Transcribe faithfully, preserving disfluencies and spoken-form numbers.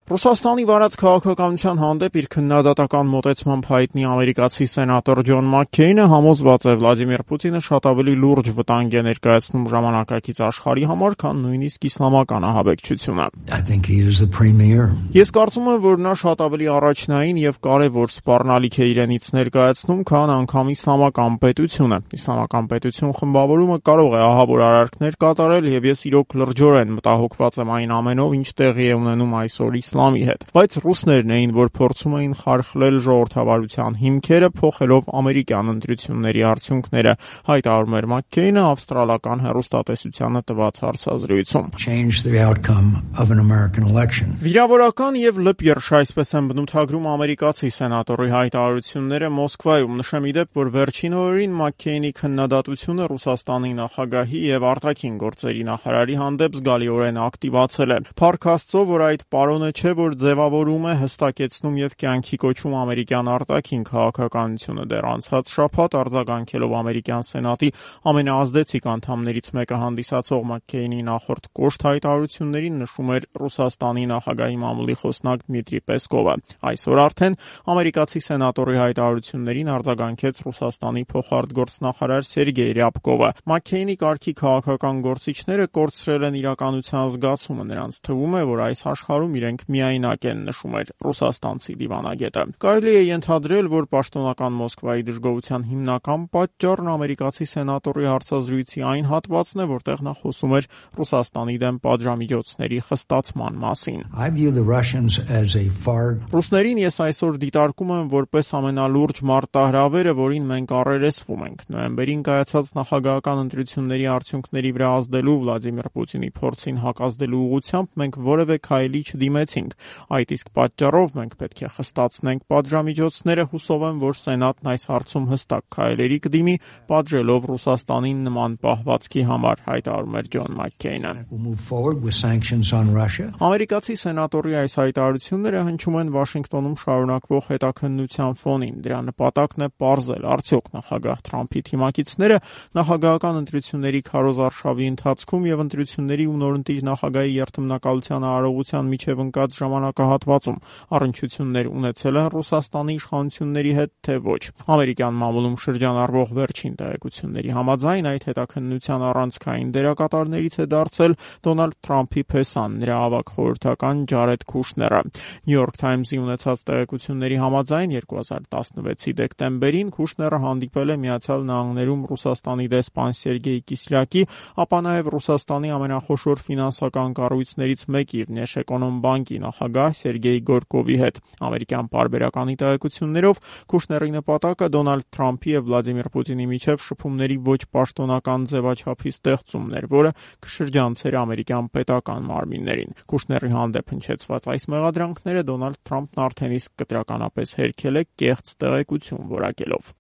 Ռուսաստանի վարած քաղաքականության հանդեպ իր քննադատական մոտեցմամբ հայտնի ամերիկացի սենատոր Ջոն Մաքքեյնը համոզված է Վլադիմիր Պուտինը շատ ավելի լուրջ վտանգ է ներկայացնում ժամանակակից աշխարհի համար, քան նույնիսկ իսլամական ահաբեկչությունը։ Ես կարծում եմ, որ նա շատ ավելի առաջնային եւ կարեւոր սպառնալիք է իրենից ներկայացնում, քան անգամ իսլամական պետությունը։ Իսլամական պետություն խմբավորումը կարող է ահավոր արարքներ կատարել եւ ես իրոք լրջորեն մտահոգված եմ այն ամենով, ինչ տեղի է ունենում այսօր իսլամի հետ, բայց ռուսներն էին, որ փորձում էին խարխլել ժողովրդավարության հիմքերը, փոխելով ամերիկյան ընտրությունների արդյունքները, հայտարարում էր Մաքքեյնը ավստրալական հեռուստատեսությանը տված հարցազրույցում։ Վիրավորական եւ լպիրշ, այսպես են բնութագրում ամերիկացի սենատորի հայտարարությունները Մոսկվայում։ Նշեմ ի դեպ, որ վերջին օրերին Մաքքեյնի քննադատությունը Ռուսաստանի նախագահի եւ արտաքին գործերի նախարարի հանդեպ զգալիորեն ակտիվացել է։ Փառք Աստծո, որ այդ պարոնը չէ, որ ձևավորում է, հստակեցնում եւ կյանքի կոչում ամերիկյան արտաքին քաղաքականությունը։ Դեռ անցած շաբաթ արձագանքելով ամերիկյան սենատի ամենաազդեցիկ անդամներից մեկը հանդիսացող Մաքքեյնի նախորդ կոշտ հայտարարություններին նշում էր Ռուսաստանի նախագահի մամուլի խոսնակ Դմիտրի Պեսկովը։ Այսօր արդեն ամերիկացի սենատորի հայտարարություններին արձագանքեց Ռուսաստանի փոխարտգործնախարար Սերգեյ Ռյաբկովը։ Մաքքեյնի կարգի քաղաքական գործիչները կորցրել են իրականության զգացումը, նրանց թվում է, որ այս աշխարհում իրենք միայնակ են, նշում էր ռուսաստանցի դիվանագետը։ Կարելի է ենթադրել, որ պաշտոնական Մոսկվայի դժգոհության հիմնական պատճառն ամերիկացի սենատորի հարցազրույցի այն հատվածն է, որտեղ նա խոսում էր Ռուսաստանի դեմ պատժամիջոցների խստացման մասին։ Ռուսներին ես այսօր դիտարկում եմ որպես ամենալուրջ մարտահրավերը, որին մենք առերեսվում ենք։ Նոյեմբերին կայացած նախագահական ընտրությունների արդյունքների վրա ազդելու Վլադիմիր Պուտինի փորձին հակազդելու ուղղությամբ մենք որևէ քայլի չդիմեցինք։ Այդ իսկ պատճառով մենք պետք է խստացնենք պատժամիջոցները, հուսով եմ, որ Սենատն այս հարցում հստակ քայլերի կդիմի, պատժելով Ռուսաստանին նման պահվածքի համար, հայտարարում էր Ջոն Մաքքեյնը։ Ամերիկացի սենատորի այս հայտարարությունները հնչում են Վաշինգտոնում շարունակվող հետաքննության ֆոնին։ Դրա նպատակն է պարզել, արդյոք նախագահ Թրամփի թիմակիցները նախագահական ընտրությունների քարոզարշավի ընթացքում եւ ընտրությունների ու նորընտիր նախագահի երթմնակալության արարողության միջև ընկած ժամանակահատվածում առնչություններ ունեցել են Ռուսաստանի իշխանությունների հետ, թե ոչ։ Ամերիկյան մամուլում շրջանառվող վերջին տեղեկությունների համաձայն այդ հետաքննության առանցքային դերակատարներից է դարձել Դոնալդ Թրամփի փեսան, նրա ավագ խորհրդական Ջարեդ Քուշները։ Նյու Յորք Թայմզի ունեցած տեղեկությունների համաձայն երկու հազար տասնվեցի դեկտեմբերին Քուշները հանդիպել է Միացյալ Նահանգներում Ռուսաստանի դեսպան Սերգեյ Կիսլյակի, ապա նաև Ռուսաստանի ամենախոշոր ֆինանսական կառույցներից մեկի Վնեշէկոնոմբանկի նախագահ Սերգեյ Գորկովի հետ։ Ամերիկյան պարբերականի տեղեկություններով Քուշների նպատակը Դոնալդ Թրամփի եւ Վլադիմիր Պուտինի միջև շփումների ոչ պաշտոնական ձևաչափի ստեղծումն էր, որը կշրջանցեր ամերիկյան պետական մարմիններին։ Քուշների հանդեպ հնչեցված այս մեղադրանքները Դոնալդ Թրամփն արդեն իսկ կտրականապես հերքել է կեղծ տեղեկություն որակելով։